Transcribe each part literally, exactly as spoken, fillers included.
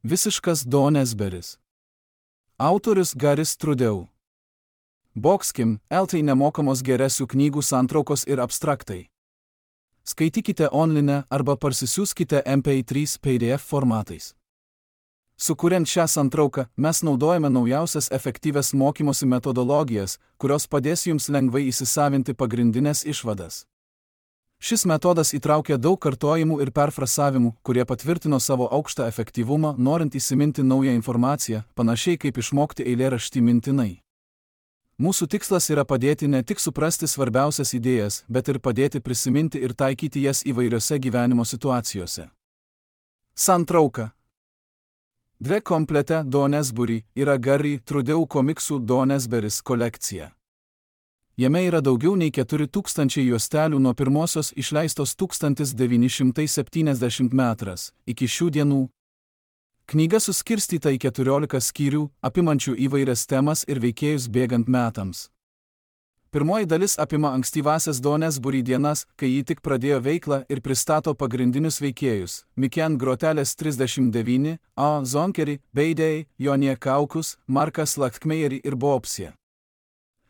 Visiškas Donesberis. Autorius Garis Trudeau. Boxkim, eltai nemokamos geresių knygų santraukos ir abstraktai. Skaitykite online arba parsisiųskite M P trys P D F formatais. Sukuriant šią santrauką, mes naudojame naujausias efektyvias mokymosi metodologijas, kurios padės jums lengvai įsisavinti pagrindinės išvadas. Šis metodas įtraukia daug kartojimų ir perfrasavimų, kurie patvirtino savo aukštą efektyvumą, norint įsiminti naują informaciją, panašiai kaip išmokti eilėraštį mintinai. Mūsų tikslas yra padėti ne tik suprasti svarbiausias idėjas, bet ir padėti prisiminti ir taikyti jas įvairiose gyvenimo situacijose. Santrauka. Dve komplete Donesbury yra Gary Trudeau komiksų Donesberis kolekcija. Jame yra daugiau nei keturi tūkstančiai juostelių nuo pirmosios išleistos tūkstantis devyni šimtai septyniasdešimt metras iki šių dienų. Knyga suskirstyta į keturiolika skyrių, apimančių įvairias temas ir veikėjus bėgant metams. Pirmoji dalis apima ankstyvąsias Donesbury dienas, kai ji tik pradėjo veiklą ir pristato pagrindinius veikėjus – Miken Grotelės trisdešimt devyni, A. Zonkerį, Beidei, Jonie Kaukus, Markas Laktmeierį ir Bobsė.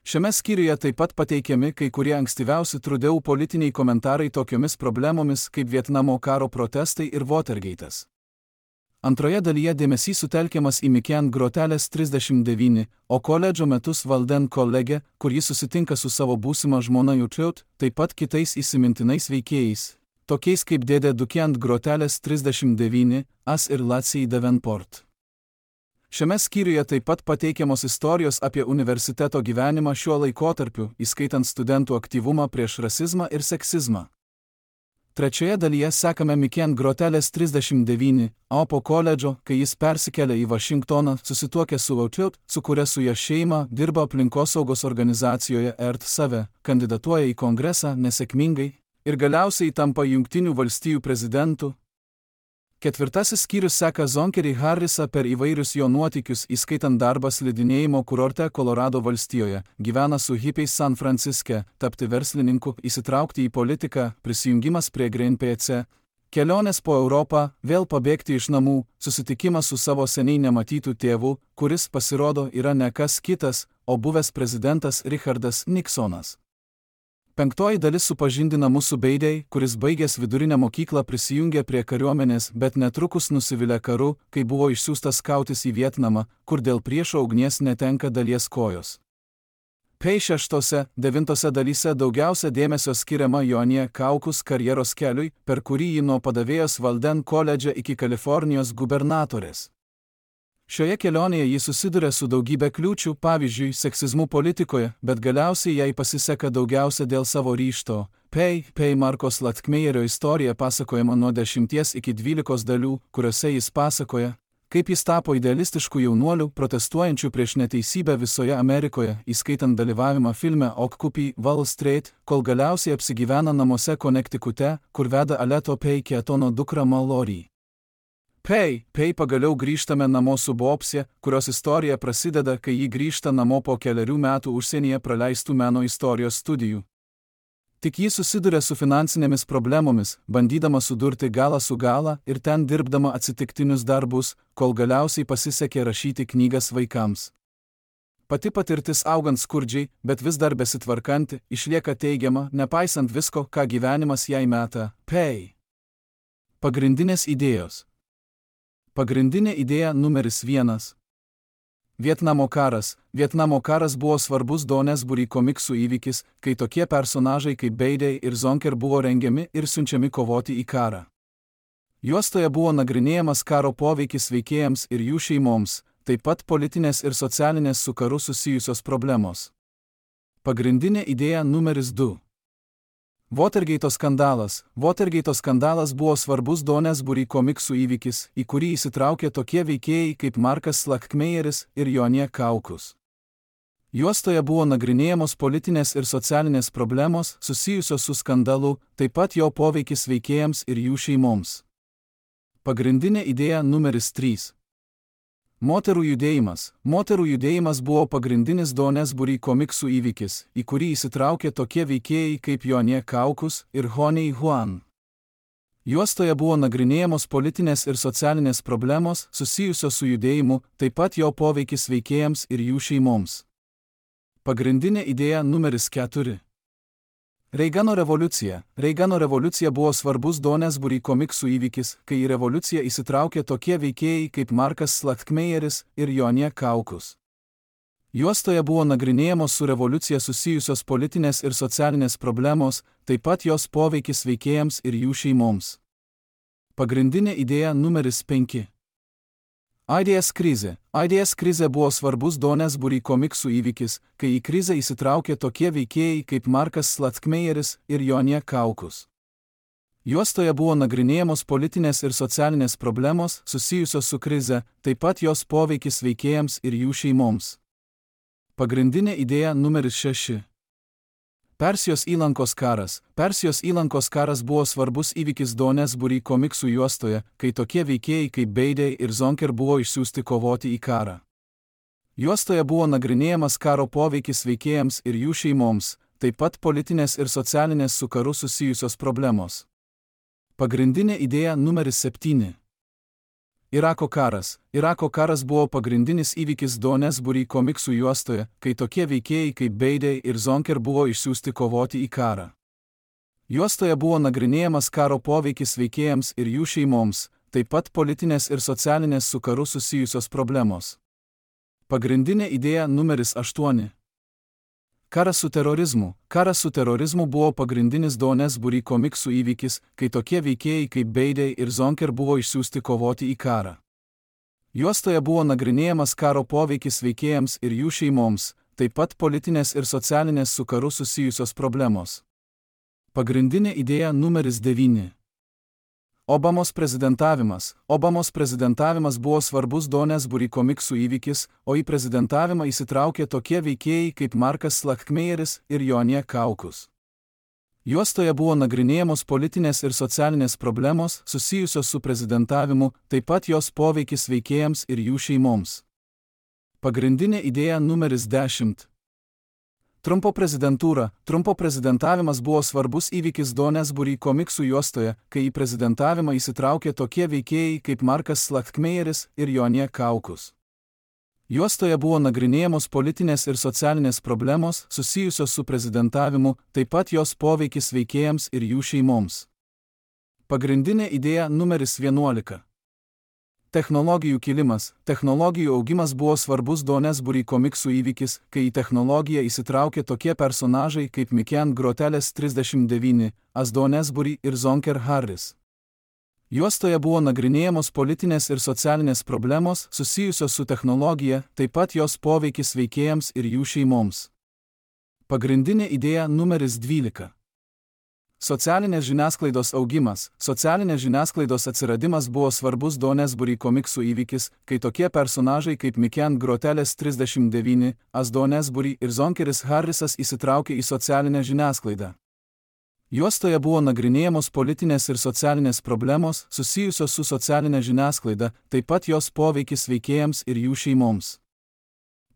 Šiame skyriuje taip pat pateikiami kai kurie ankstyviausi Trudeau politiniai komentarai tokiomis problemomis kaip Vietnamo karo protestai ir Watergate'as. Antroje dalyje dėmesys sutelkiamas į Miken Grotelės trisdešimt devyni, o koledžo metus Walden College, kur jis susitinka su savo būsima žmona Jutriut, taip pat kitais įsimintinais veikėjais, tokiais kaip dėdė Dukiant Grotelės trisdešimt devyni, As ir Latsij Davenport. Šiame skyriuje taip pat pateikiamos istorijos apie universiteto gyvenimą šiuo laikotarpiu, įskaitant studentų aktyvumą prieš rasizmą ir seksizmą. Trečioje dalyje sekame Miken Grotelės trisdešimt devyni, o po koledžo, kai jis persikelia į Vašingtoną, susituokia su Lautiut, sukuria su ja šeimą, dirba aplinkosaugos organizacijoje Earth Save, kandidatuoja į kongresą nesėkmingai ir galiausiai tampa Jungtinių valstijų prezidentu. Ketvirtasis skyrius seka Zonkerį Harrisą per įvairius jo nuotykius, įskaitant darbą slidinėjimo kurorte Kolorado valstijoje, gyvena su hipiais San Franciske, tapti verslininku, įsitraukti į politiką, prisijungimas prie Greenpeace, kelionės po Europą, vėl pabėgti iš namų, susitikimas su savo seniai nematytų tėvu, kuris pasirodo yra ne kas kitas, o buvęs prezidentas Richardas Nixonas. Penktoji dalis supažindina mūsų Beidei, kuris baigęs vidurinę mokyklą prisijungė prie kariuomenės, bet netrukus nusivylė karu, kai buvo išsiųstas kautis į Vietnamą, kur dėl priešo ugnies netenka dalies kojos. Pei šeštose, devintose dalyse daugiausia dėmesio skiriama Jonie Kaukus karjeros keliui, per kurį ji nuo padavėjos Walden koledže iki Kalifornijos gubernatorės. Šioje kelionėje ji susiduria su daugybė kliūčių, pavyzdžiui, seksizmu politikoje, bet galiausiai jai pasiseka daugiausia dėl savo ryžto. Pei, Pei Markos Laktmeierio istorija pasakojama nuo dešimties iki dvylikos dalių, kuriuose jis pasakoja, kaip jis tapo idealistišku jaunuoliu, protestuojančiu prieš neteisybę visoje Amerikoje, įskaitant dalyvavimą filme Occupy Wall Street, kol galiausiai apsigyvena namuose Konektikute, kur veda Aleto Pei Keatono dukra Mallory. Pei, Pei pagaliau grįžtame namo su Bobsė, kurios istorija prasideda, kai ji grįžta namo po keliarių metų užsienyje praleistų meno istorijos studijų. Tik ji susiduria su finansinėmis problemomis, bandydama sudurti galą su galą ir ten dirbdama atsitiktinius darbus, kol galiausiai pasisekė rašyti knygas vaikams. Pati patirtis augant skurdžiai, bet vis dar besitvarkanti, išlieka teigiama, nepaisant visko, ką gyvenimas jai meta. Pei. Pagrindinės idėjos. Pagrindinė idėja numeris vienas. Vietnamo karas. Vietnamo karas buvo svarbus Donesbury komiksų įvykis, kai tokie personažai kaip Beidei ir Zonker buvo rengiami ir siunčiami kovoti į karą. Juostoje buvo nagrinėjamas karo poveikis veikėjams ir jų šeimoms, taip pat politinės ir socialinės su karu susijusios problemos. Pagrindinė idėja numeris du. Watergate'o skandalas. Watergate'o skandalas buvo svarbus Donesbury komiksų įvykis, į kurį įsitraukė tokie veikėjai kaip Markas Laktmeieris ir Jonie Kaukus. Juostoje buvo nagrinėjamos politinės ir socialinės problemos susijusios su skandalu, taip pat jo poveikis veikėjams ir jų šeimoms. Pagrindinė idėja numeris trys. Moterų judėjimas. Moterų judėjimas buvo pagrindinis Donesbury komiksų įvykis, į kurį įsitraukė tokie veikėjai kaip Jonie Kaukus ir Honey Huan. Juostoje buvo nagrinėjamos politinės ir socialinės problemos susijusios su judėjimu, taip pat jo poveikis veikėjams ir jų šeimoms. Pagrindinė idėja numeris keturi. Reigano revoliucija. Reigano revoliucija buvo svarbus Donesbury komiksų įvykis, kai į revoliuciją įsitraukė tokie veikėjai kaip Markas Slachtmeieris ir Jonė Kaukus. Juostoje buvo nagrinėjamos su revoliucija susijusios politinės ir socialinės problemos, taip pat jos poveikis veikėjams ir jų šeimoms. Pagrindinė idėja numeris penki. Aidės krizė. Aidės krizė buvo svarbus Donesbury komiksų įvykis, kai į krizę įsitraukė tokie veikėjai kaip Markas Slachtmeieris ir Jonė Kaukus. Juostoje buvo nagrinėjamos politinės ir socialinės problemos susijusios su krize, taip pat jos poveikis veikėjams ir jų šeimoms. Pagrindinė idėja numeris šeši. Persijos įlankos karas. Persijos įlankos karas buvo svarbus įvykis Donesbury komiksų juostoje, kai tokie veikėjai kaip Beidey ir Zonker buvo išsiųsti kovoti į karą. Juostoje buvo nagrinėjamas karo poveikis veikėjams ir jų šeimoms, taip pat politinės ir socialinės su karu susijusios problemos. Pagrindinė idėja numeris septyni. Irako karas. Irako karas buvo pagrindinis įvykis Donesbury komiksų juostoje, kai tokie veikėjai kaip Beidey ir Zonker buvo išsiųsti kovoti į karą. Juostoje buvo nagrinėjamas karo poveikis veikėjams ir jų šeimoms, taip pat politinės ir socialinės su karu susijusios problemos. Pagrindinė idėja numeris aštuoni. Karas su terorizmu. Karas su terorizmu buvo pagrindinis Donesbury komiksų įvykis, kai tokie veikėjai kaip Beidey ir Zonker buvo išsiųsti kovoti į karą. Juostoje buvo nagrinėjamas karo poveikis veikėjams ir jų šeimoms, taip pat politinės ir socialinės su karu susijusios problemos. Pagrindinė idėja numeris devyni. Obamos prezidentavimas. Obamos prezidentavimas buvo svarbus Donesbury komiksų įvykis, o į prezidentavimą įsitraukė tokie veikėjai kaip Markas Slachtmeieris ir Jonė Kaukus. Juostoje buvo nagrinėjamos politinės ir socialinės problemos susijusios su prezidentavimu, taip pat jos poveikis veikėjams ir jų šeimoms. Pagrindinė idėja numeris dešimt. Trumpo prezidentūra. Trumpo prezidentavimas buvo svarbus įvykis Donesbury komiksų juostoje, kai į prezidentavimą įsitraukė tokie veikėjai kaip Markas Slachtmeieris ir Jonė Kaukus. Juostoje buvo nagrinėjamos politinės ir socialinės problemos susijusios su prezidentavimu, taip pat jos poveikis veikėjams ir jų šeimoms. Pagrindinė idėja numeris vienuolika. Technologijų kilimas. Technologijų augimas buvo svarbus Donesbury komiksų įvykis, kai į technologiją įsitraukė tokie personažai kaip Miken Groteles trisdešimt devyni, As Donesbury ir Zonker Harris. Juostoje buvo nagrinėjamos politinės ir socialinės problemos susijusios su technologija, taip pat jos poveikis veikėjams ir jų šeimoms. Pagrindinė idėja numeris dvylika. Socialinės žiniasklaidos augimas. Socialinės žiniasklaidos atsiradimas buvo svarbus Donesbury komiksų įvykis, kai tokie personažai kaip Miken Groteles trisdešimt devyni, As Donesbury ir Zonkeris Harrisas įsitraukė į socialinę žiniasklaidą. Juostoje buvo nagrinėjamos politinės ir socialinės problemos susijusios su socialinė žiniasklaida, taip pat jos poveikis veikėjams ir jų šeimoms.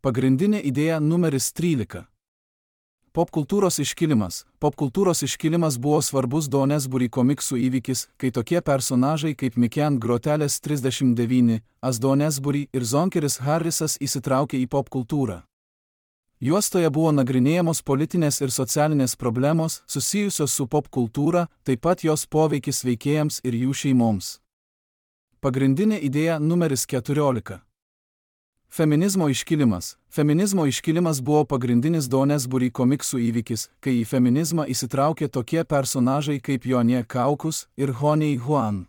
Pagrindinė idėja numeris trylika. Popkultūros iškilimas. Popkultūros iškilimas buvo svarbus Donesbury komiksų įvykis, kai tokie personažai kaip Miken Groteles trisdešimt devyni, As Donesbury ir Zonkeris Harrisas įsitraukė į popkultūrą. Juostoje buvo nagrinėjamos politinės ir socialinės problemos susijusios su popkultūra, taip pat jos poveikis veikėjams ir jų šeimoms. Pagrindinė idėja numeris keturiolika. Feminizmo iškilimas. Feminizmo iškilimas buvo pagrindinis Donesbury komiksų įvykis, kai į feminizmą įsitraukė tokie personažai kaip Jonė Kaukus ir Honey Huan.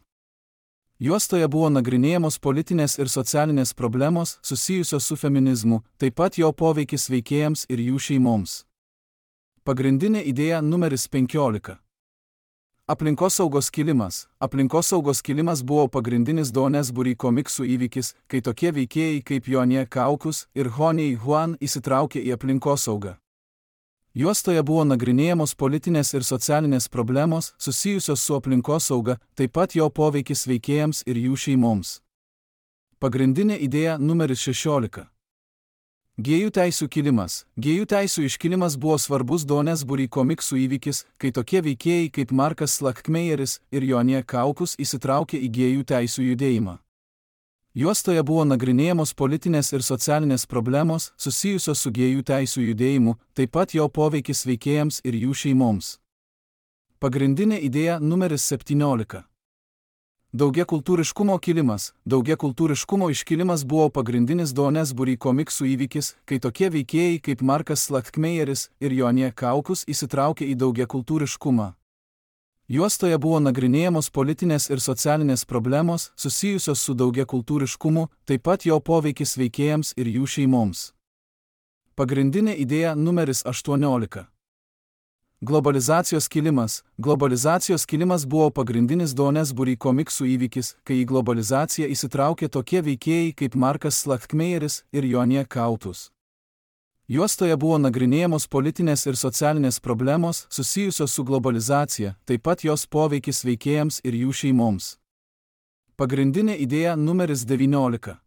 Juostoje buvo nagrinėjamos politinės ir socialinės problemos susijusios su feminizmu, taip pat jo poveikis veikėjams ir jų šeimoms. Pagrindinė idėja numeris penkiolika. Aplinkosaugos kilimas. Aplinkosaugos kilimas buvo pagrindinis Donesbury komiksų įvykis, kai tokie veikėjai kaip Jonė Kaukus ir Honey Huan įsitraukė į aplinkosaugą. Juostoje buvo nagrinėjamos politinės ir socialinės problemos susijusios su aplinkosauga, taip pat jo poveikis veikėjams ir jų šeimoms. Pagrindinė idėja numeris šešiolika. Gėjų teisių kilimas. Gėjų teisių iškilimas buvo svarbus Donesbury komiksų įvykis, kai tokie veikėjai kaip Markas Slackmeyeris ir Jonie Kaukus įsitraukė į gėjų teisių judėjimą. Juostoje buvo nagrinėjamos politinės ir socialinės problemos susijusios su gėjų teisių judėjimu, taip pat jo poveikis veikėjams ir jų šeimoms. Pagrindinė idėja numeris septyniolika. Daugiakultūriškumo kilimas. Daugiakultūriškumo iškilimas buvo pagrindinis Donesbury komiksų įvykis, kai tokie veikėjai kaip Markas Slackmeyeris ir Jonie Kaukus įsitraukė į daugiakultūriškumą. Juostoje buvo nagrinėjamos politinės ir socialinės problemos susijusios su daugiakultūriškumu, taip pat jo poveikis veikėjams ir jų šeimoms. Pagrindinė idėja numeris aštuoniolika. Globalizacijos kilimas. Globalizacijos kilimas buvo pagrindinis Donesbury komiksų įvykis, kai į globalizaciją įsitraukė tokie veikėjai kaip Markas Slackmeyeris ir Jonie Kaukus. Juostoje buvo nagrinėjamos politinės ir socialinės problemos susijusios su globalizacija, taip pat jos poveikis veikėjams ir jų šeimoms. Pagrindinė idėja numeris devyniolika.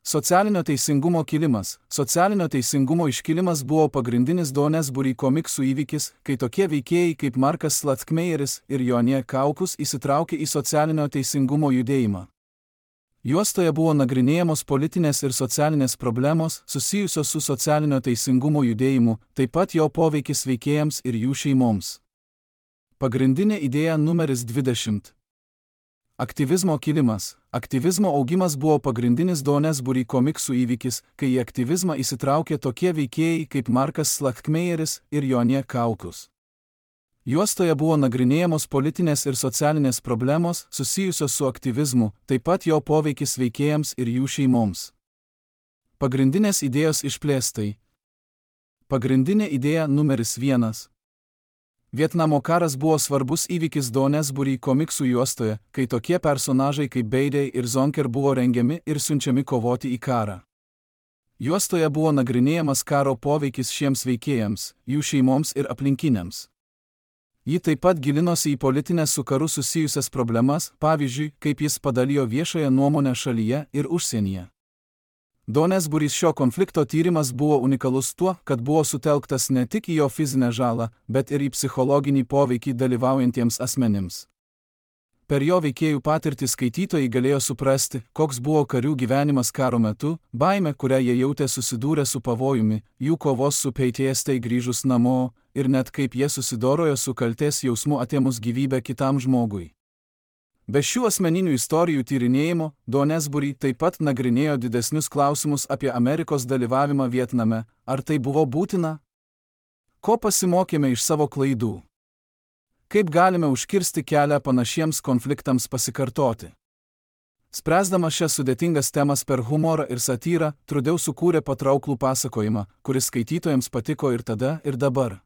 Socialinio teisingumo kilimas. Socialinio teisingumo iškilimas buvo pagrindinis Donesbury komiksų įvykis, kai tokie veikėjai kaip Markas Slackmeyeris ir Jonie Kaukus įsitraukė į socialinio teisingumo judėjimą. Juostoje buvo nagrinėjamos politinės ir socialinės problemos susijusios su socialinio teisingumo judėjimu, taip pat jo poveikis veikėjams ir jų šeimoms. Pagrindinė idėja numeris dvidešimt. Aktyvizmo kilimas. Aktyvizmo augimas buvo pagrindinis Donesbury komiksų įvykis, kai į aktyvizmą įsitraukė tokie veikėjai kaip Markas Slackmeyeris ir Jonie Kaukus. Juostoje buvo nagrinėjamos politinės ir socialinės problemos susijusios su aktyvizmu, taip pat jo poveikis veikėjams ir jų šeimoms. Pagrindinės idėjos išplėstai. Pagrindinė idėja numeris vienas. Vietnamo karas buvo svarbus įvykis Donesbury komiksų juostoje, kai tokie personažai kaip Beidei ir Zonker buvo rengiami ir siunčiami kovoti į karą. Juostoje buvo nagrinėjamas karo poveikis šiems veikėjams, jų šeimoms ir aplinkiniams. Ji taip pat gilinosi į politinės su karu susijusias problemas, pavyzdžiui, kaip jis padalijo viešąją nuomonę šalyje ir užsienyje. Donesburys šio konflikto tyrimas buvo unikalus tuo, kad buvo sutelktas ne tik į jo fizinę žalą, bet ir į psichologinį poveikį dalyvaujantiems asmenims. Per jo veikėjų patirtį skaitytojai galėjo suprasti, koks buvo karių gyvenimas karo metu, baimė, kurią jie jautė susidūrę su pavojumi, jų kovos su P T S D grįžus namo, ir net kaip jie susidorojo su kaltės jausmu atėmus gyvybę kitam žmogui. Be šių asmeninių istorijų tyrinėjimo, Donesbury taip pat nagrinėjo didesnius klausimus apie Amerikos dalyvavimą Vietname, ar tai buvo būtina? Ko pasimokėme iš savo klaidų? Kaip galime užkirsti kelią panašiems konfliktams pasikartoti? Spręsdama šias sudėtingas temas per humorą ir satyrą, Trudeau sukūrė patrauklų pasakojimą, kuris skaitytojams patiko ir tada, ir dabar.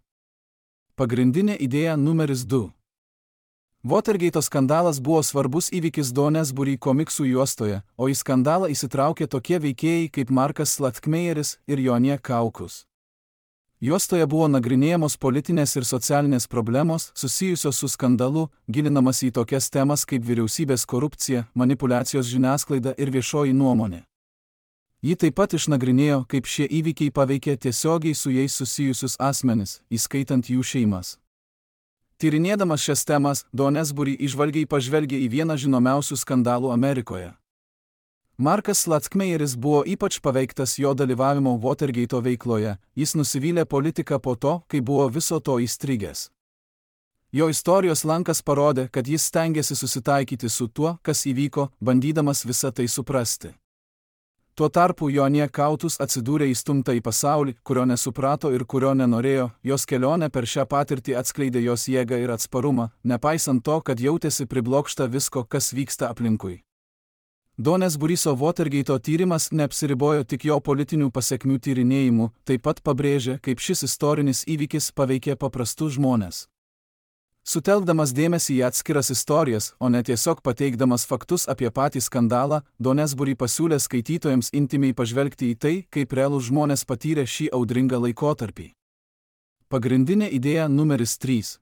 Pagrindinė idėja numeris du. Watergate skandalas buvo svarbus įvykis Donesbury komiksų juostoje, o į skandalą įsitraukė tokie veikėjai kaip Markas Slackmeyeris ir Jonie Kaukus. Juostoje buvo nagrinėjamos politinės ir socialinės problemos susijusios su skandalu, gilinamas į tokias temas kaip vyriausybės korupcija, manipulacijos žiniasklaida ir viešoji nuomonė. Ji taip pat išnagrinėjo, kaip šie įvykiai paveikė tiesiogiai su jais susijusius asmenis, įskaitant jų šeimas. Tyrinėdamas šias temas, Donesbury įžvalgiai pažvelgė į vieną žinomiausių skandalų Amerikoje. Markas Slackmeyeris buvo ypač paveiktas jo dalyvavimo Watergate veikloje, jis nusivylė politiką po to, kai buvo viso to įstrigęs. Jo istorijos lankas parodė, kad jis stengėsi susitaikyti su tuo, kas įvyko, bandydamas visą tai suprasti. Tuo tarpu Jonie Kaukus atsidūrė įstumta į pasaulį, kurio nesuprato ir kurio nenorėjo, jos kelionė per šią patirtį atskleidė jos jėgą ir atsparumą, nepaisant to, kad jautėsi priblokšta visko, kas vyksta aplinkui. Donesburyso Watergate tyrimas neapsiribojo tik jo politinių pasekmių tyrinėjimu, taip pat pabrėžė, kaip šis istorinis įvykis paveikė paprastus žmones. Sutelkdamas dėmesį į atskiras istorijas, o ne tiesiog pateikdamas faktus apie patį skandalą, Donesbury pasiūlė skaitytojams intimiai pažvelgti į tai, kaip realūs žmonės patyrė šį audringą laikotarpį. Pagrindinė idėja numeris trys.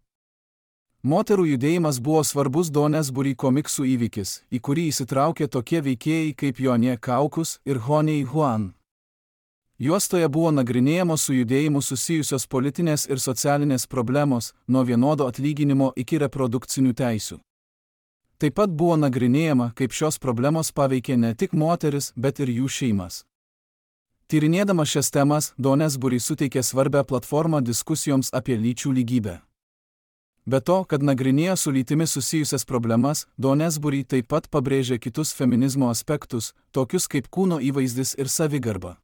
Moterų judėjimas buvo svarbus Donesbury komiksų įvykis, į kurį įsitraukė tokie veikėjai kaip Jonie Kaukus ir Honey Huan. Juostoje buvo nagrinėjamos su judėjimu susijusios politinės ir socialinės problemos, nuo vienodo atlyginimo iki reprodukcinių teisių. Taip pat buvo nagrinėjama, kaip šios problemos paveikė ne tik moteris, bet ir jų šeimas. Tyrinėdama šias temas, Doonesbury suteikė svarbią platformą diskusijoms apie lyčių lygybę. Be to, kad nagrinėjo su lytimi susijusias problemas, Doonesbury taip pat pabrėžė kitus feminizmo aspektus, tokius kaip kūno įvaizdis ir savigarba.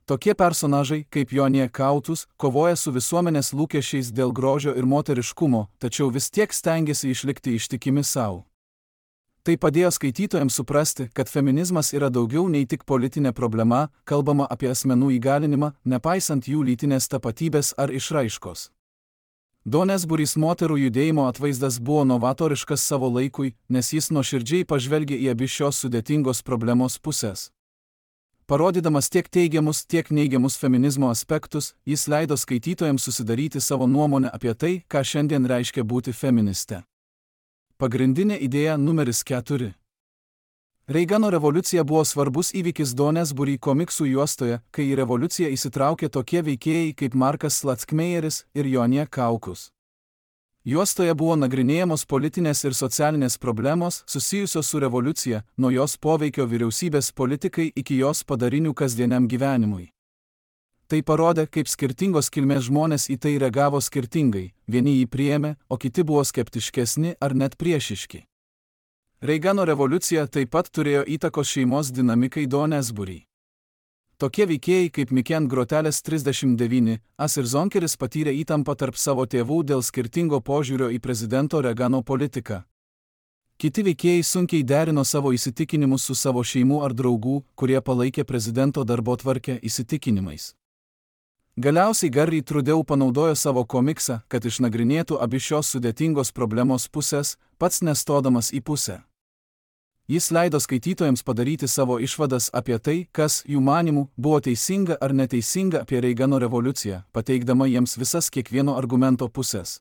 Tokie personažai, kaip Jonė Kautus, kovoja su visuomenės lūkesčiais dėl grožio ir moteriškumo, tačiau vis tiek stengiasi išlikti ištikimi savo. Tai padėjo skaitytojams suprasti, kad feminizmas yra daugiau nei tik politinė problema, kalbama apie asmenų įgalinimą, nepaisant jų lytinės tapatybės ar išraiškos. Doonesburys moterų judėjimo atvaizdas buvo novatoriškas savo laikui, nes jis nuoširdžiai pažvelgė į abi šios sudėtingos problemos pusės. Parodydamas tiek teigiamus, tiek neigiamus feminizmo aspektus, jis leido skaitytojams susidaryti savo nuomonę apie tai, ką šiandien reiškia būti feministe. Pagrindinė idėja numeris keturi. Reigano revoliucija buvo svarbus įvykis Doonesbury komiksų juostoje, kai į revoliuciją įsitraukė tokie veikėjai kaip Markas Slackmeyeris ir Jonė Kaukus. Juostoje buvo nagrinėjamos politinės ir socialinės problemos susijusios su revoliucija, nuo jos poveikio vyriausybės politikai iki jos padarinių kasdieniam gyvenimui. Tai parodė, kaip skirtingos kilmės žmonės į tai reagavo skirtingai, vieni jį priėmė, o kiti buvo skeptiškesni ar net priešiški. Reigano revoliucija taip pat turėjo įtakos šeimos dinamikai Doonesbury. Tokie veikėjai kaip Miken Grotelis trisdešimt devyni, As ir Zonkeris patyrė įtampą tarp savo tėvų dėl skirtingo požiūrio į prezidento Reagano politiką. Kiti veikėjai sunkiai derino savo įsitikinimus su savo šeimų ar draugų, kurie palaikė prezidento darbotvarkę įsitikinimais. Galiausiai Gary Trudeau panaudojo savo komiksą, kad išnagrinėtų abi šios sudėtingos problemos pusės, pats nestodamas į pusę. Jis leido skaitytojams padaryti savo išvadas apie tai, kas, jų manimų, buvo teisinga ar neteisinga apie Reigano revoliuciją, pateikdama jiems visas kiekvieno argumento pusės.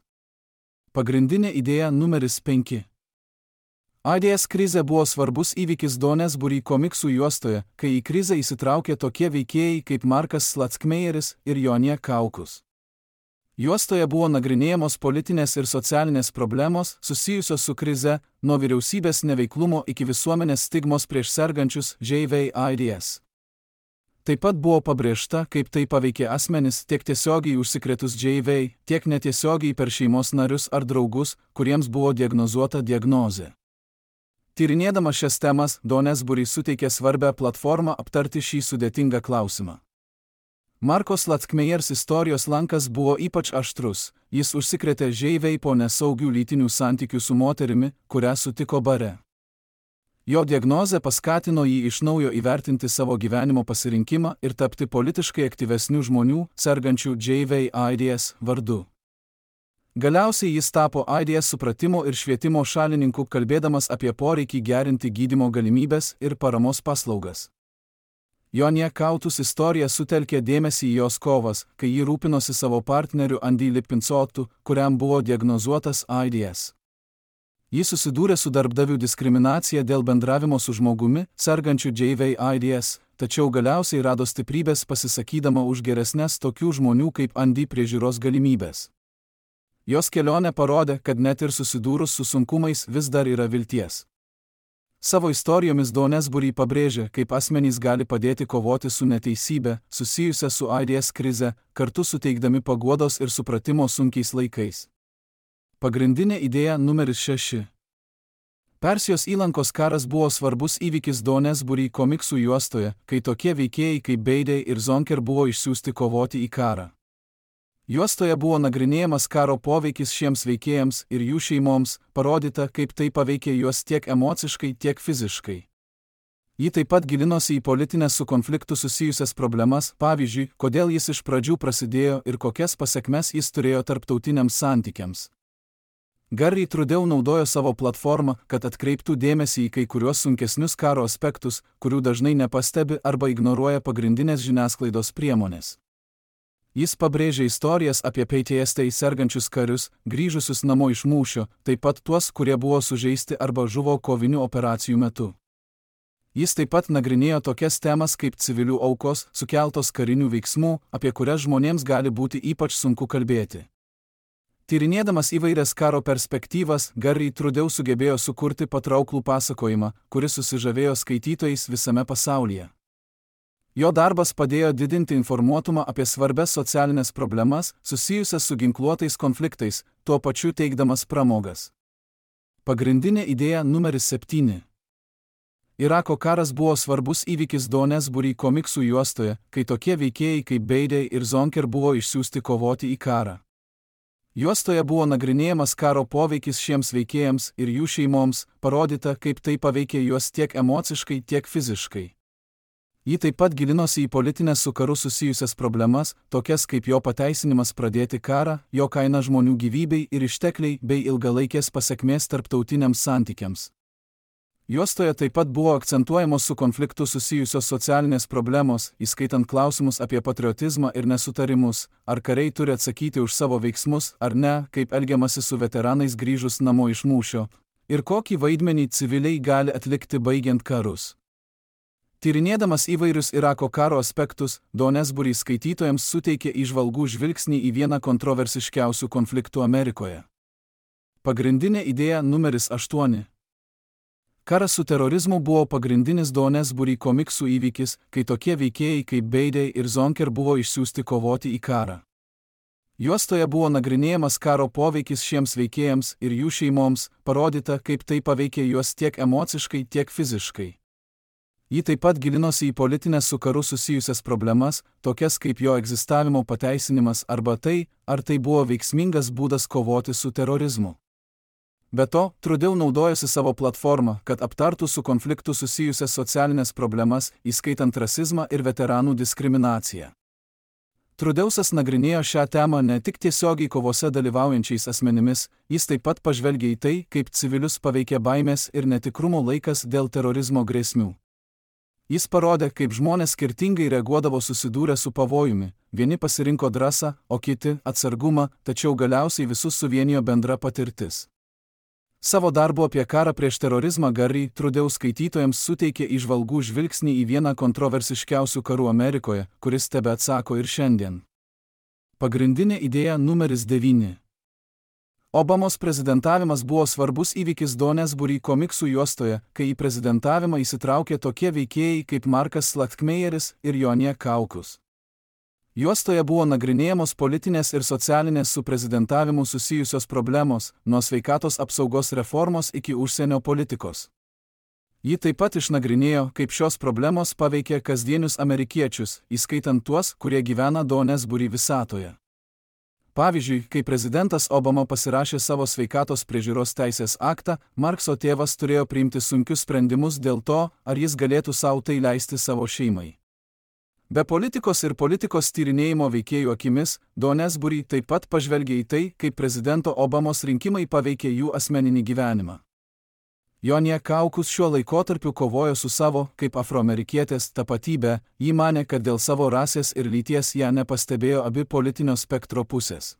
Pagrindinė idėja numeris penki. AIDS krizė buvo svarbus įvykis Doonesbury komiksų juostoje, kai į krizę įsitraukė tokie veikėjai kaip Markas Slackmeyeris ir Jonė Kaukus. Juostoje buvo nagrinėjamos politinės ir socialinės problemos susijusios su krize, nuo vyriausybės neveiklumo iki visuomenės stigmos prieš sergančius H I V AIDS. Taip pat buvo pabrėžta, kaip tai paveikė asmenis tiek tiesiogiai užsikrėtus H I V, tiek netiesiogiai per šeimos narius ar draugus, kuriems buvo diagnozuota diagnozė. Tyrinėdama šias temas, Doonesbury suteikė svarbią platformą aptarti šį sudėtingą klausimą. Marko Slackmeyers istorijos lankas buvo ypač aštrus, jis užsikrėtė H I V po nesaugių lytinių santykių su moterimi, kurią sutiko bare. Jo diagnozė paskatino jį iš naujo įvertinti savo gyvenimo pasirinkimą ir tapti politiškai aktyvesnių žmonių, sergančių H I V AIDS vardu. Galiausiai jis tapo AIDS supratimo ir švietimo šalininku, kalbėdamas apie poreikį gerinti gydymo galimybės ir paramos paslaugas. Jonė Kautus istorija sutelkė dėmesį į jos kovas, kai ji rūpinosi savo partneriu Andy Lipincotu, kuriam buvo diagnozuotas AIDS. Jis susidūrė su darbdavių diskriminacija dėl bendravimo su žmogumi, sergančiu H I V AIDS, tačiau galiausiai rado stiprybės pasisakydama už geresnes tokių žmonių kaip Andy priežiūros galimybės. Jos kelionė parodė, kad net ir susidūrus su sunkumais vis dar yra vilties. Savo istorijomis Doonesbury pabrėžė, kaip asmenys gali padėti kovoti su neteisybė, susijusia su AIDS krize, kartu suteikdami paguodos ir supratimo sunkiais laikais. Pagrindinė idėja numeris šeši. Persijos įlankos karas buvo svarbus įvykis Doonesbury komiksų juostoje, kai tokie veikėjai kaip Beidei ir Zonker buvo išsiųsti kovoti į karą. Juostoje buvo nagrinėjamas karo poveikis šiems veikėjams ir jų šeimoms, parodyta, kaip tai paveikė juos tiek emociškai, tiek fiziškai. Ji taip pat gilinosi į politinės su konfliktu susijusias problemas, pavyzdžiui, kodėl jis iš pradžių prasidėjo ir kokias pasekmes jis turėjo tarptautiniams santykiams. Gary Trudeau naudojo savo platformą, kad atkreiptų dėmesį į kai kuriuos sunkesnius karo aspektus, kurių dažnai nepastebi arba ignoruoja pagrindinės žiniasklaidos priemonės. Jis pabrėžė istorijas apie P T S D sergančius karius, grįžusius namo iš mūšio, taip pat tuos, kurie buvo sužeisti arba žuvo kovinių operacijų metu. Jis taip pat nagrinėjo tokias temas kaip civilių aukos, sukeltos karinių veiksmų, apie kurias žmonėms gali būti ypač sunku kalbėti. Tyrinėdamas įvairias karo perspektyvas, Garry Trudeau sugebėjo sukurti patrauklų pasakojimą, kuris susižavėjo skaitytojais visame pasaulyje. Jo darbas padėjo didinti informuotumą apie svarbias socialinės problemas, susijusias su ginkluotais konfliktais, tuo pačiu teikdamas pramogas. Pagrindinė idėja numeris septyni. Irako karas buvo svarbus įvykis Doonesbury komiksų juostoje, kai tokie veikėjai kaip Beidei ir Zonker buvo išsiųsti kovoti į karą. Juostoje buvo nagrinėjamas karo poveikis šiems veikėjams ir jų šeimoms, parodyta, kaip tai paveikė juos tiek emociškai, tiek fiziškai. Ji taip pat gilinosi į politinės su karu susijusias problemas, tokias kaip jo pateisinimas pradėti karą, jo kaina žmonių gyvybei ir ištekliai bei ilgalaikės pasekmės tarptautiniams santykiams. Juostoje taip pat buvo akcentuojamos su konfliktu susijusios socialinės problemos, įskaitant klausimus apie patriotizmą ir nesutarimus, ar kariai turi atsakyti už savo veiksmus ar ne, kaip elgiamasi su veteranais grįžus namo iš mūšio, ir kokį vaidmenį civiliai gali atlikti baigiant karus. Tyrinėdamas įvairius Irako karo aspektus, Doonesbury skaitytojams suteikė įžvalgų žvilgsnį į vieną kontroversiškiausių konfliktų Amerikoje. Pagrindinė idėja numeris aštuoni. Karas su terorizmu buvo pagrindinis Doonesbury komiksų įvykis, kai tokie veikėjai kaip Beidei ir Zonker buvo išsiųsti kovoti į karą. Juostoje buvo nagrinėjamas karo poveikis šiems veikėjams ir jų šeimoms, parodyta, kaip tai paveikė juos tiek emociškai, tiek fiziškai. Ji taip pat gilinosi į politinės su karu susijusias problemas, tokias kaip jo egzistavimo pateisinimas arba tai, ar tai buvo veiksmingas būdas kovoti su terorizmu. Be to, Trudeau naudojosi savo platformą, kad aptartų su konfliktu susijusias socialinės problemas, įskaitant rasizmą ir veteranų diskriminaciją. Trudeausas nagrinėjo šią temą ne tik tiesiogiai kovose dalyvaujančiais asmenimis, jis taip pat pažvelgė į tai, kaip civilius paveikia baimės ir netikrumo laikas dėl terorizmo grėsmių. Jis parodė, kaip žmonės skirtingai reaguodavo susidūrę su pavojumi, vieni pasirinko drąsą, o kiti atsargumą, tačiau galiausiai visus suvienijo bendra patirtis. Savo darbu apie karą prieš terorizmą Garry Trudeau skaitytojams suteikė įžvalgų žvilgsnį į vieną kontroversiškiausių karų Amerikoje, kuris tebeatsako ir šiandien. Pagrindinė idėja numeris devyni. Obamos prezidentavimas buvo svarbus įvykis Doonesbury komiksų juostoje, kai į prezidentavimą įsitraukė tokie veikėjai kaip Markas Slatkmeyeris ir Jonie Kaukus. Juostoje buvo nagrinėjamos politinės ir socialinės su prezidentavimu susijusios problemos, nuo sveikatos apsaugos reformos iki užsienio politikos. Ji taip pat išnagrinėjo, kaip šios problemos paveikė kasdienius amerikiečius, įskaitant tuos, kurie gyvena Doonesbury visatoje. Pavyzdžiui, kai prezidentas Obama pasirašė savo sveikatos priežiūros teisės aktą, Markso tėvas turėjo priimti sunkius sprendimus dėl to, ar jis galėtų sau tai leisti savo šeimai. Be politikos ir politikos tyrinėjimo veikėjų akimis, Doonesbury taip pat pažvelgė į tai, kaip prezidento Obamos rinkimai paveikė jų asmeninį gyvenimą. Jonie Kaukus šiuo laikotarpiu kovojo su savo, kaip afroamerikietės, tapatybė, ji manė, kad dėl savo rasės ir lyties ją nepastebėjo abi politinio spektro pusės.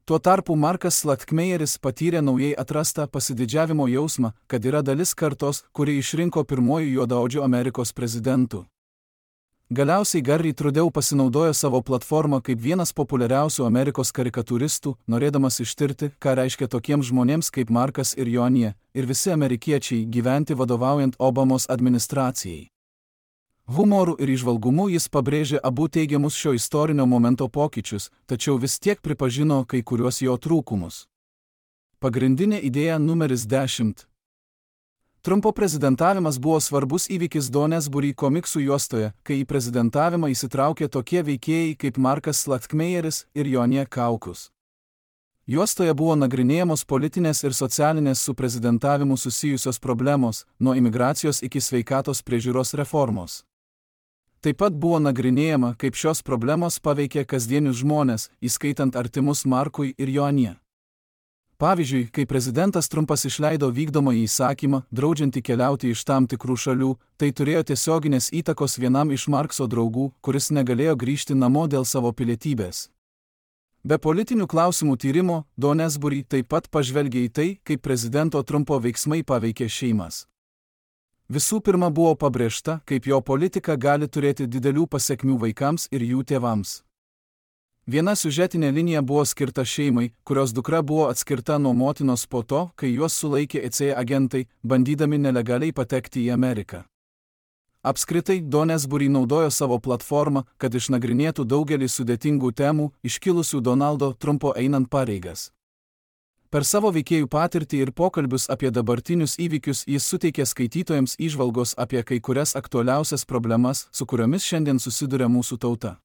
Tuo tarpu Markas Slatkmeyeris patyrė naujai atrastą pasididžiavimo jausmą, kad yra dalis kartos, kuri išrinko pirmojų juodaodžių Amerikos prezidentų. Galiausiai Garry Trudeau pasinaudojo savo platformą kaip vienas populiariausių Amerikos karikatūristų, norėdamas ištirti, ką reiškia tokiems žmonėms kaip Markas ir Jonie, ir visi amerikiečiai gyventi vadovaujant Obamos administracijai. Humoru ir įžvalgumu jis pabrėžė abu teigiamus šio istorinio momento pokyčius, tačiau vis tiek pripažino kai kuriuos jo trūkumus. Pagrindinė idėja numeris dešimt. Trumpo prezidentavimas buvo svarbus įvykis Doonesbury komiksų juostoje, kai į prezidentavimą įsitraukė tokie veikėjai kaip Markas Slatkmeyeris ir Jonie Kaukus. Juostoje buvo nagrinėjamos politinės ir socialinės su prezidentavimu susijusios problemos, nuo imigracijos iki sveikatos priežiūros reformos. Taip pat buvo nagrinėjama, kaip šios problemos paveikė kasdienius žmonės, įskaitant artimus Markui ir Jonie. Pavyzdžiui, kai prezidentas Trumpas išleido vykdomąjį įsakymą, draudžiantį keliauti iš tam tikrų šalių, tai turėjo tiesioginės įtakos vienam iš Markso draugų, kuris negalėjo grįžti namo dėl savo pilietybės. Be politinių klausimų tyrimo, Doonesbury taip pat pažvelgė į tai, kaip prezidento Trumpo veiksmai paveikė šeimas. Visų pirma buvo pabrėžta, kaip jo politika gali turėti didelių pasekmių vaikams ir jų tėvams. Viena siužetinė linija buvo skirta šeimai, kurios dukra buvo atskirta nuo motinos po to, kai juos sulaikė E C agentai, bandydami nelegaliai patekti į Ameriką. Apskritai, Doonesbury naudojo savo platformą, kad išnagrinėtų daugelį sudėtingų temų, iškilusių Donaldo Trumpo einant pareigas. Per savo veikėjų patirtį ir pokalbius apie dabartinius įvykius jis suteikė skaitytojams įžvalgos apie kai kurias aktualiausias problemas, su kuriomis šiandien susiduria mūsų tauta.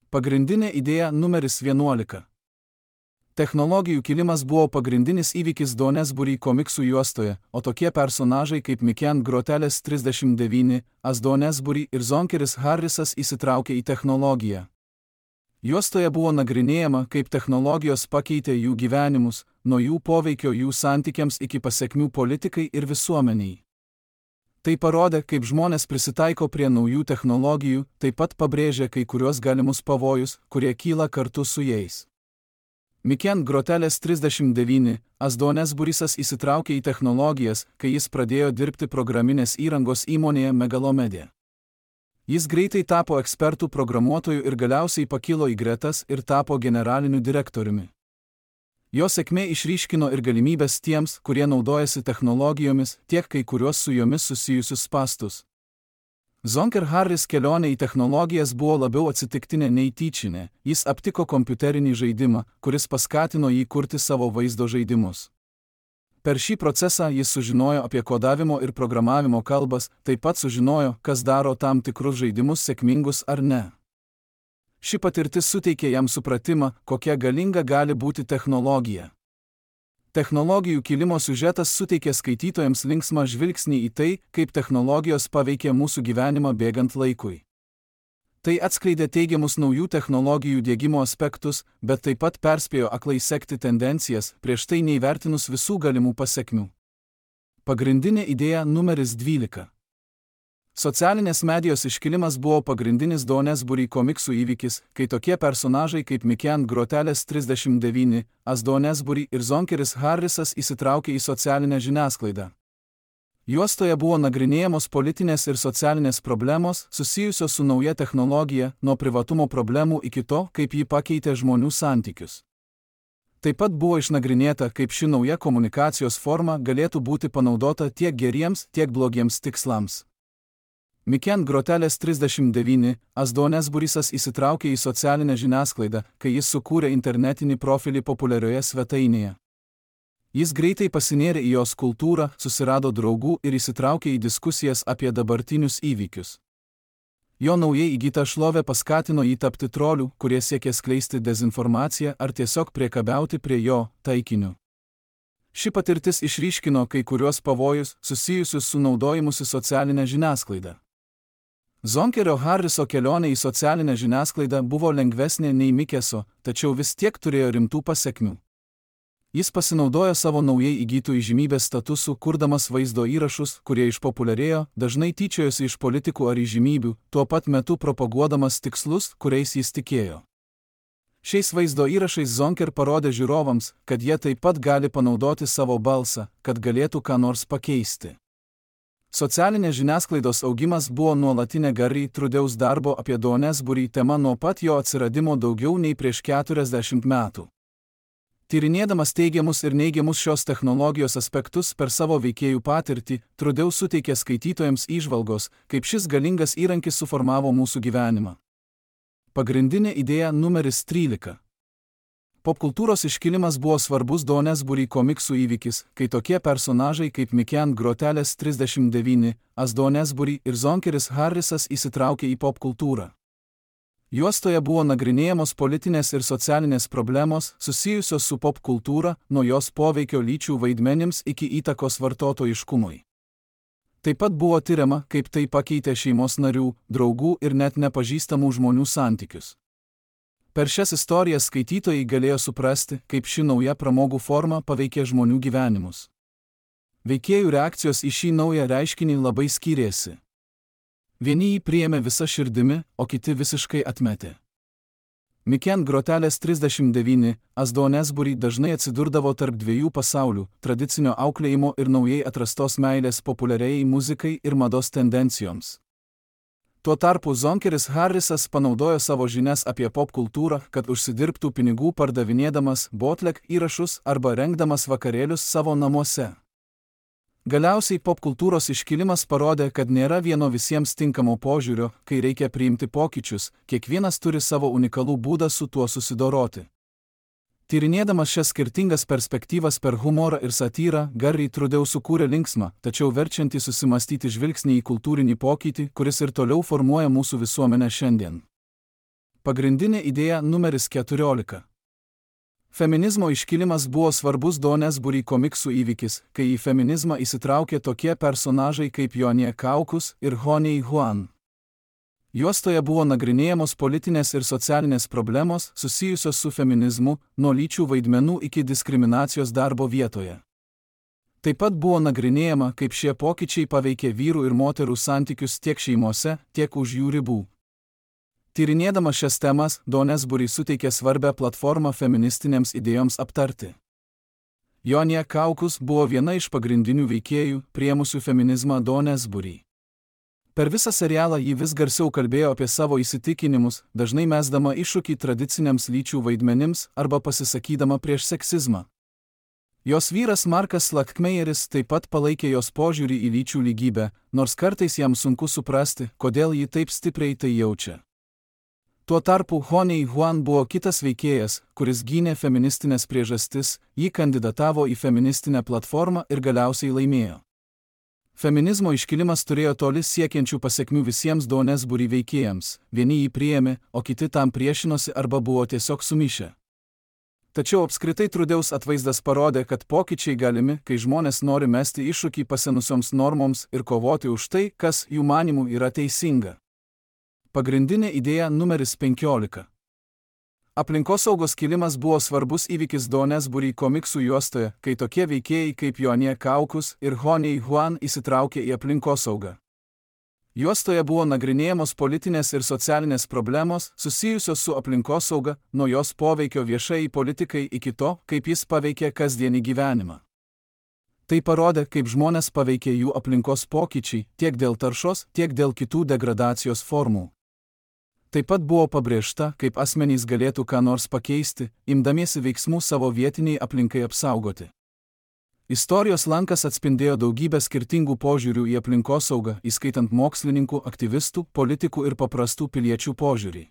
Pagrindinė idėja numeris vienuolika. Technologijų kilimas buvo pagrindinis įvykis Doonesbury komiksų juostoje, o tokie personažai kaip Miken Groteles trisdešimt devyni, As Doonesbury ir Zonkeris Harrisas įsitraukė į technologiją. Juostoje buvo nagrinėjama, kaip technologijos pakeitė jų gyvenimus, nuo jų poveikio jų santykiams iki pasekmių politikai ir visuomeniai. Tai parodė, kaip žmonės prisitaiko prie naujų technologijų, taip pat pabrėžė kai kuriuos galimus pavojus, kurie kyla kartu su jais. Miken Groteles trisdešimt devyni, As Doonesburysas įsitraukė į technologijas, kai jis pradėjo dirbti programinės įrangos įmonėje Megalomedia. Jis greitai tapo ekspertų programuotojų ir galiausiai pakilo į gretas ir tapo generaliniu direktoriumi. Jo sėkmė išryškino ir galimybės tiems, kurie naudojasi technologijomis, tiek kai kuriuos su jomis susijusius spastus. Zonker Harris kelionė į technologijas buvo labiau atsitiktinė nei tyčinė, jis aptiko kompiuterinį žaidimą, kuris paskatino jį kurti savo vaizdo žaidimus. Per šį procesą jis sužinojo apie kodavimo ir programavimo kalbas, taip pat sužinojo, kas daro tam tikrus žaidimus sėkmingus ar ne. Ši patirtis suteikė jam supratimą, kokia galinga gali būti technologija. Technologijų kilimo siužetas suteikė skaitytojams linksmą žvilgsnį į tai, kaip technologijos paveikė mūsų gyvenimą bėgant laikui. Tai atskleidė teigiamus naujų technologijų diegimo aspektus, bet taip pat perspėjo aklai sekti tendencijas, prieš tai neįvertinus visų galimų pasekmių. Pagrindinė idėja numeris dvylika. Socialinės medijos iškilimas buvo pagrindinis Doonesbury komiksų įvykis, kai tokie personažai kaip Miken Groteles trisdešimt devyni, As Doonesbury ir Zonkeris Harrisas įsitraukė į socialinę žiniasklaidą. Juostoje buvo nagrinėjamos politinės ir socialinės problemos, susijusios su nauja technologija, nuo privatumo problemų iki to, kaip ji pakeitė žmonių santykius. Taip pat buvo išnagrinėta, kaip ši nauja komunikacijos forma galėtų būti panaudota tiek geriems, tiek blogiems tikslams. Miken Groteles trisdešimt devyni, As Doonesburysas įsitraukė į socialinę žiniasklaidą, kai jis sukūrė internetinį profilį populiarioje svetainėje. Jis greitai pasinėrė į jos kultūrą, susirado draugų ir įsitraukė į diskusijas apie dabartinius įvykius. Jo naujai įgyta šlovė paskatino jį tapti trolių, kurie siekė skleisti dezinformaciją ar tiesiog priekabiauti prie jo taikiniu. Ši patirtis išryškino kai kuriuos pavojus susijusius su naudojimusi socialinę žiniasklaidą. Zonkerio Harriso kelionė į socialinę žiniasklaidą buvo lengvesnė nei Mikeso, tačiau vis tiek turėjo rimtų pasekmių. Jis pasinaudojo savo naujai įgytų įžymybės statusu, kurdamas vaizdo įrašus, kurie išpopuliarėjo, dažnai tyčiojosi iš politikų ar įžymybių, tuo pat metu propaguodamas tikslus, kuriais jis tikėjo. Šiais vaizdo įrašais Zonker parodė žiūrovams, kad jie taip pat gali panaudoti savo balsą, kad galėtų ką nors pakeisti. Socialinės žiniasklaidos augimas buvo nuolatinė Gary Trudeaus darbo apie Doonesbury tema nuo pat jo atsiradimo daugiau nei prieš keturiasdešimt metų. Tyrinėdamas teigiamus ir neigiamus šios technologijos aspektus per savo veikėjų patirtį, Trudeau suteikė skaitytojams įžvalgos, kaip šis galingas įrankis suformavo mūsų gyvenimą. Pagrindinė idėja numeris trylika. Popkultūros iškilimas buvo svarbus Doonesbury komiksų įvykis, kai tokie personažai kaip Miken Groteles trisdešimt devyni, As Doonesbury ir Zonkeris Harrisas įsitraukė į popkultūrą. Juostoje buvo nagrinėjamos politinės ir socialinės problemos susijusios su popkultūra, nuo jos poveikio lyčių vaidmenims iki įtakos vartotojiškumui. Taip pat buvo tiriama, kaip tai pakeitė šeimos narių, draugų ir net nepažįstamų žmonių santykius. Per šias istorijas skaitytojai galėjo suprasti, kaip ši nauja pramogų forma paveikė žmonių gyvenimus. Veikėjų reakcijos į šį naują reiškinį labai skyrėsi. Vieni jį priėmė visa širdimi, o kiti visiškai atmetė. Miken grotelės trisdešimt devyni, Asdonesbury dažnai atsidurdavo tarp dviejų pasaulių - tradicinio auklėjimo ir naujai atrastos meilės populiariai muzikai ir mados tendencijoms. Tuo tarpu Zonkeris Harrisas panaudojo savo žinias apie popkultūrą, kad užsidirbtų pinigų pardavinėdamas bootleg įrašus arba rengdamas vakarėlius savo namuose. Galiausiai popkultūros iškilimas parodė, kad nėra vieno visiems tinkamo požiūrio, kai reikia priimti pokyčius, kiekvienas turi savo unikalų būdą su tuo susidoroti. Tyrinėdamas šias skirtingas perspektyvas per humorą ir satyrą, Garry Trudeau sukūrė linksmą, tačiau verčiantį susimastyti žvilgsnį į kultūrinį pokytį, kuris ir toliau formuoja mūsų visuomenę šiandien. Pagrindinė idėja numeris keturiolika. Feminizmo iškilimas buvo svarbus Donesbury komiksų įvykis, kai į feminizmą įsitraukė tokie personažai kaip Jonie Kaukus ir Honey Huan. Juostoje buvo nagrinėjamos politinės ir socialinės problemos susijusios su feminizmu, nuo lyčių vaidmenų iki diskriminacijos darbo vietoje. Taip pat buvo nagrinėjama, kaip šie pokyčiai paveikė vyrų ir moterų santykius tiek šeimose, tiek už jų ribų. Tyrinėdama šias temas, Donesbury suteikė svarbę platformą feministinėms idėjoms aptarti. Jonie Kaukus buvo viena iš pagrindinių veikėjų, priėmusių feminizmą Donesbury. Per visą serialą ji vis garsiau kalbėjo apie savo įsitikinimus, dažnai mesdama iššūkį tradiciniams lyčių vaidmenims arba pasisakydama prieš seksizmą. Jos vyras Markas Slackmeyeris taip pat palaikė jos požiūrį į lyčių lygybę, nors kartais jam sunku suprasti, kodėl ji taip stipriai tai jaučia. Tuo tarpu Honey Huan buvo kitas veikėjas, kuris gynė feministinės priežastis, jį kandidatavo į feministinę platformą ir galiausiai laimėjo. Feminizmo iškilimas turėjo toli siekiančių pasekmių visiems Donesbury veikėjams, vieni jį priėmė, o kiti tam priešinosi arba buvo tiesiog sumišę. Tačiau apskritai Trudeaus atvaizdas parodė, kad pokyčiai galimi, kai žmonės nori mesti iššūkį pasenusioms normoms ir kovoti už tai, kas jų manymų yra teisinga. Pagrindinė idėja numeris penkiolika. Aplinkosaugos kilimas buvo svarbus įvykis Donesbury komiksų juostoje, kai tokie veikėjai kaip Jonie Kaukus ir Honey Huan įsitraukė į aplinkosaugą. Juostoje buvo nagrinėjamos politinės ir socialinės problemos susijusios su aplinkosauga, nuo jos poveikio viešai politikai iki to, kaip jis paveikė kasdienį gyvenimą. Tai parodė, kaip žmonės paveikė jų aplinkos pokyčiai, tiek dėl taršos, tiek dėl kitų degradacijos formų. Taip pat buvo pabrėžta, kaip asmenys galėtų ką nors pakeisti, imdamiesi veiksmų savo vietiniai aplinkai apsaugoti. Istorijos lankas atspindėjo daugybę skirtingų požiūrių į aplinkosaugą, įskaitant mokslininkų, aktyvistų, politikų ir paprastų piliečių požiūrį.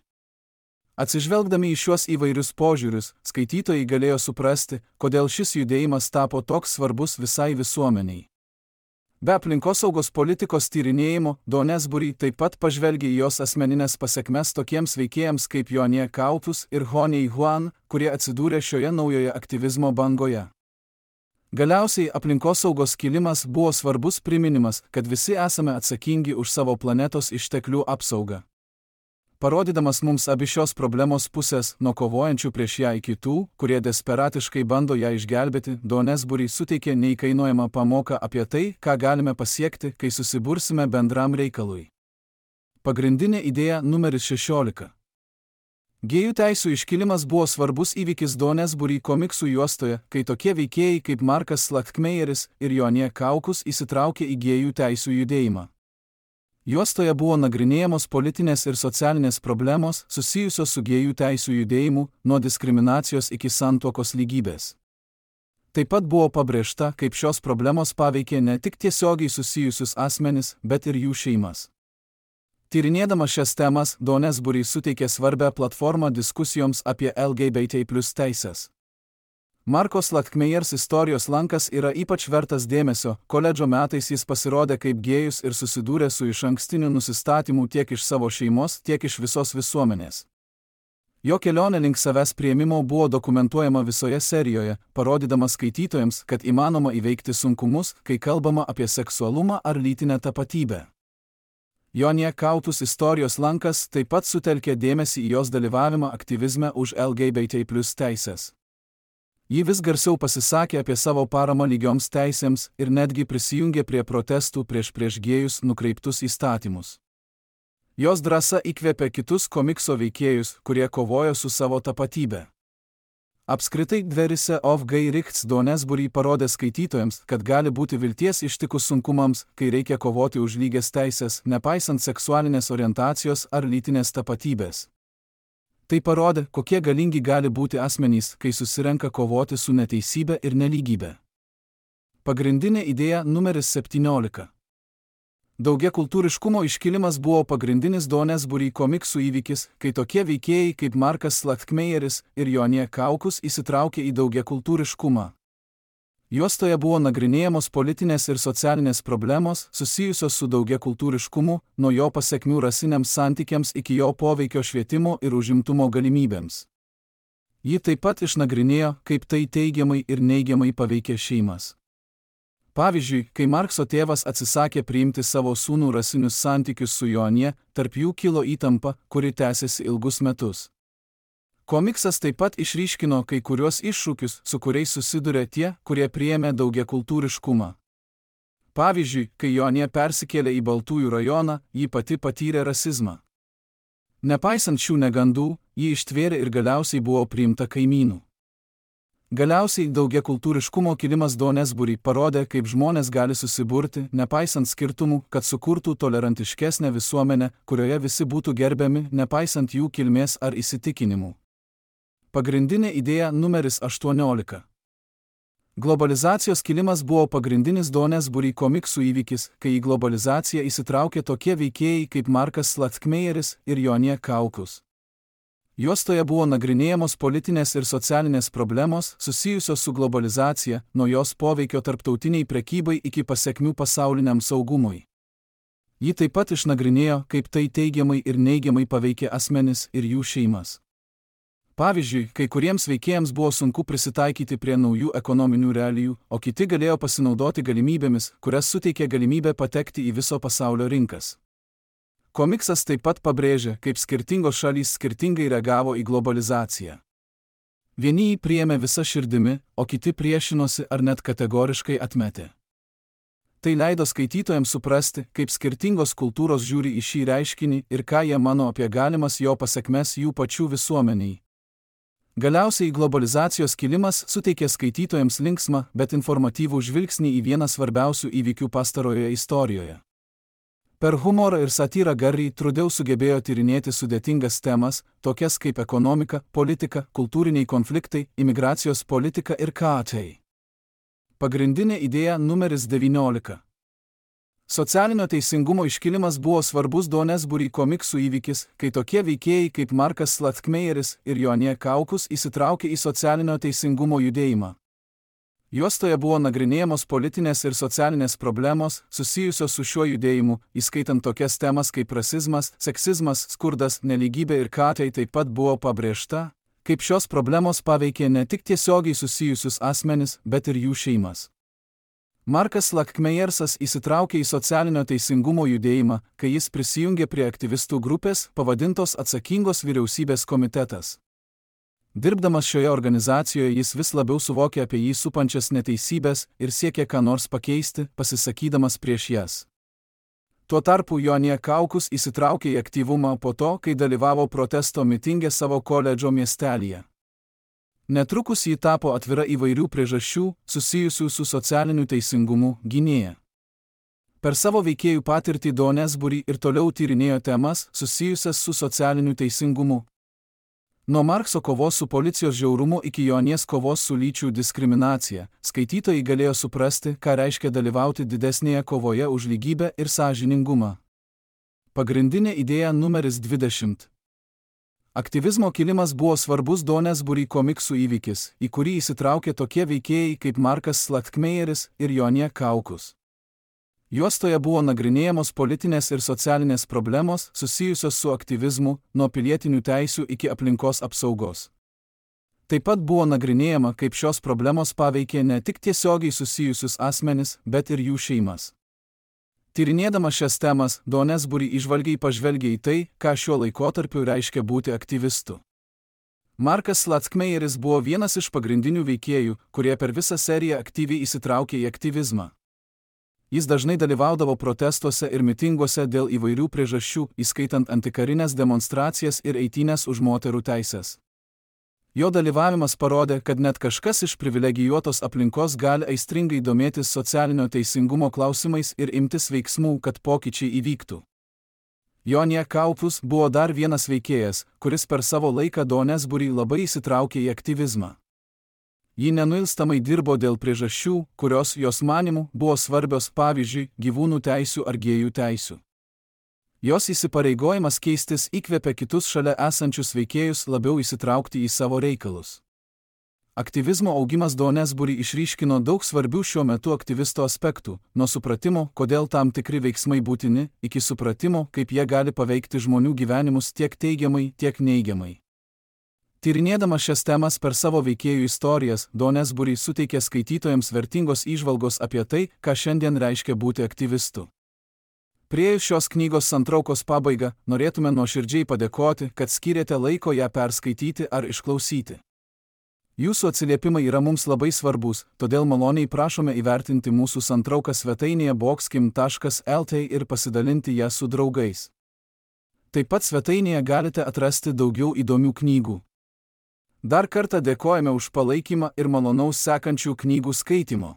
Atsižvelgdami į šiuos įvairius požiūrius, skaitytojai galėjo suprasti, kodėl šis judėjimas tapo toks svarbus visai visuomeniai. Be aplinkosaugos politikos tyrinėjimo, Donesbury taip pat pažvelgė į jos asmeninės pasekmes tokiems veikėjams kaip Jonie Kaukus ir Honey Huan, kurie atsidūrė šioje naujoje aktyvizmo bangoje. Galiausiai aplinkosaugos kilimas buvo svarbus priminimas, kad visi esame atsakingi už savo planetos išteklių apsaugą. Parodydamas mums abi šios problemos pusės, nuo kovojančių prieš ją iki tų, kurie desperatiškai bando ją išgelbėti, Donesbury suteikė neįkainojamą pamoką apie tai, ką galime pasiekti, kai susibursime bendram reikalui. Pagrindinė idėja numeris šešiolika. Gėjų teisių iškilimas buvo svarbus įvykis Donesbury komiksų juostoje, kai tokie veikėjai kaip Markas Slackmeyeris ir Jonie Kaukus įsitraukė į gėjų teisių judėjimą. Juostoje buvo nagrinėjamos politinės ir socialinės problemos susijusios su gėjų teisių judėjimu, nuo diskriminacijos iki santuokos lygybės. Taip pat buvo pabrėžta, kaip šios problemos paveikė ne tik tiesiogiai susijusius asmenis, bet ir jų šeimas. Tyrinėdama šias temas, Donesbury suteikė svarbę platformą diskusijoms apie L G B T plus teisės. Marko Slackmeyers istorijos lankas yra ypač vertas dėmesio, koledžo metais jis pasirodė kaip gėjus ir susidūrė su išankstiniu nusistatymu tiek iš savo šeimos, tiek iš visos visuomenės. Jo kelionė link savęs priėmimo buvo dokumentuojama visoje serijoje, parodydama skaitytojams, kad įmanoma įveikti sunkumus, kai kalbama apie seksualumą ar lytinę tapatybę. Jonie Kaukus istorijos lankas taip pat sutelkė dėmesį į jos dalyvavimą aktyvizme už L G B T plus teisės. Ji vis garsiau pasisakė apie savo paramą lygioms teisėms ir netgi prisijungė prie protestų prieš prieš gėjus nukreiptus įstatymus. Jos drąsa įkvėpė kitus komikso veikėjus, kurie kovojo su savo tapatybe. Apskritai Dverise of Geirichts Donesbury parodė skaitytojams, kad gali būti vilties ištikus sunkumams, kai reikia kovoti už lygias teisės, nepaisant seksualinės orientacijos ar lytinės tapatybės. Tai parodė, kokie galingi gali būti asmenys, kai susirenka kovoti su neteisybė ir nelygybė. Pagrindinė idėja numeris septyniolika. Daugiakultūriškumo iškilimas buvo pagrindinis Donesbury komiksų įvykis, kai tokie veikėjai kaip Markas Slatkmeyeris ir Jonė Kaukus įsitraukė į daugiakultūriškumą. Juostoje buvo nagrinėjamos politinės ir socialinės problemos susijusios su daugiakultūriškumu, nuo jo pasekmių rasiniams santykiams iki jo poveikio švietimo ir užimtumo galimybėms. Ji taip pat išnagrinėjo, kaip tai teigiamai ir neigiamai paveikė šeimas. Pavyzdžiui, kai Markso tėvas atsisakė priimti savo sūnų rasinius santykius su Jonė, tarp jų kilo įtampa, kuri tęsėsi ilgus metus. Komiksas taip pat išryškino kai kuriuos iššūkius, su kuriais susiduria tie, kurie priėmė daugiakultūriškumą. Pavyzdžiui, kai Jonė persikėlė į Baltųjų rajoną, ji pati patyrė rasizmą. Nepaisant šių negandų, ji ištvėrė ir galiausiai buvo priimta kaimynų. Galiausiai daugiakultūriškumo kilimas Donesbury parodė, kaip žmonės gali susiburti, nepaisant skirtumų, kad sukurtų tolerantiškesnę visuomenę, kurioje visi būtų gerbiami, nepaisant jų kilmės ar įsitikinimų. Pagrindinė idėja numeris aštuoniolika. Globalizacijos kilimas buvo pagrindinis Donesbury komiksų įvykis, kai į globalizaciją įsitraukė tokie veikėjai kaip Markas Slatkmeyeris ir Jonė Kaukus. Juostoje buvo nagrinėjamos politinės ir socialinės problemos susijusios su globalizacija, nuo jos poveikio tarptautiniai prekybai iki pasekmių pasauliniam saugumui. Ji taip pat išnagrinėjo, kaip tai teigiamai ir neigiamai paveikė asmenis ir jų šeimas. Pavyzdžiui, kai kuriems veikėjams buvo sunku prisitaikyti prie naujų ekonominių realijų, o kiti galėjo pasinaudoti galimybėmis, kurias suteikė galimybė patekti į viso pasaulio rinkas. Komiksas taip pat pabrėžė, kaip skirtingos šalys skirtingai reagavo į globalizaciją. Vieni jį priėmė visa širdimi, o kiti priešinosi ar net kategoriškai atmetė. Tai leido skaitytojams suprasti, kaip skirtingos kultūros žiūri į šį reiškinį ir ką jie mano apie galimas jo pasekmes jų pačių visuomeniai. Galiausiai globalizacijos kilimas suteikė skaitytojams linksmą, bet informatyvų žvilgsnį į vieną svarbiausių įvykių pastarojoje istorijoje. Per humorą ir satyrą Gary Trudeau sugebėjo tyrinėti sudėtingas temas, tokias kaip ekonomika, politika, kultūriniai konfliktai, imigracijos politika ir ką tai. Pagrindinė idėja numeris devyniolika. Socialinio teisingumo iškilimas buvo svarbus Donesbury komiksų įvykis, kai tokie veikėjai kaip Markas Slatkmeyeris ir Jonė Kaukus įsitraukė į socialinio teisingumo judėjimą. Juostoje buvo nagrinėjamos politinės ir socialinės problemos susijusios su šiuo judėjimu, įskaitant tokias temas kaip rasizmas, seksizmas, skurdas, nelygybė ir ką tai taip pat buvo pabrėžta, kaip šios problemos paveikė ne tik tiesiogiai susijusius asmenis, bet ir jų šeimas. Markas Slatkmeyersas įsitraukė į socialinio teisingumo judėjimą, kai jis prisijungė prie aktyvistų grupės, pavadintos Atsakingos vyriausybės komitetas. Dirbdamas šioje organizacijoje jis vis labiau suvokė apie jį supančias neteisybės ir siekė ką nors pakeisti, pasisakydamas prieš jas. Tuo tarpu Jonė Kaukus įsitraukė į aktyvumą po to, kai dalyvavo protesto mitinge savo koledžo miestelyje. Netrukus ji tapo atvira įvairių priežasčių, susijusių su socialiniu teisingumu, gynėja. Per savo veikėjų patirtį Donesbury ir toliau tyrinėjo temas susijusias su socialiniu teisingumu. Nuo Markso kovos su policijos žiaurumu iki Jonės kovos su lyčių diskriminacija, skaitytojai galėjo suprasti, ką reiškia dalyvauti didesnėje kovoje už lygybę ir sąžiningumą. Pagrindinė idėja numeris dvidešimt. Aktyvizmo kilimas buvo svarbus Donesbury komiksų įvykis, į kurį įsitraukė tokie veikėjai kaip Markas Slatkmeyeris ir Jonė Kaukus. Juostoje buvo nagrinėjamos politinės ir socialinės problemos susijusios su aktyvizmu, nuo pilietinių teisių iki aplinkos apsaugos. Taip pat buvo nagrinėjama, kaip šios problemos paveikė ne tik tiesiogiai susijusius asmenis, bet ir jų šeimas. Tyrinėdama šias temas, Donesbury įžvalgiai pažvelgė į tai, ką šiuo laikotarpiu reiškia būti aktyvistu. Markas Slatkmeyeris buvo vienas iš pagrindinių veikėjų, kurie per visą seriją aktyviai įsitraukė į aktyvizmą. Jis dažnai dalyvaudavo protestuose ir mitinguose dėl įvairių priežasčių, įskaitant antikarinės demonstracijas ir eitynes už moterų teises. Jo dalyvavimas parodė, kad net kažkas iš privilegijuotos aplinkos gali aistringai domėtis socialinio teisingumo klausimais ir imtis veiksmų, kad pokyčiai įvyktų. Jonija Kaupus buvo dar vienas veikėjas, kuris per savo laiką Donesburį labai įsitraukė į aktyvizmą. Ji nenuilstamai dirbo dėl priežasčių, kurios jos manymu buvo svarbios, pavyzdžiui, gyvūnų teisių ar gėjų teisių. Jos įsipareigojimas keistis įkvėpė kitus šalia esančius veikėjus labiau įsitraukti į savo reikalus. Aktyvizmo augimas Donesburį išryškino daug svarbių šiuo metu aktyvisto aspektų, nuo supratimo, kodėl tam tikri veiksmai būtini, iki supratimo, kaip jie gali paveikti žmonių gyvenimus tiek teigiamai, tiek neigiamai. Tyrinėdama šias temas per savo veikėjų istorijas, Donesburį suteikė skaitytojams vertingos įžvalgos apie tai, ką šiandien reiškia būti aktyvistu. Priėjus šios knygos santraukos pabaigą, norėtume nuoširdžiai padėkoti, kad skyrėte laiko ją perskaityti ar išklausyti. Jūsų atsiliepimai yra mums labai svarbus, todėl maloniai prašome įvertinti mūsų santrauką svetainėje boxkim taškas lt ir pasidalinti ją su draugais. Taip pat svetainėje galite atrasti daugiau įdomių knygų. Dar kartą dėkojame už palaikymą ir malonaus sekančių knygų skaitymo.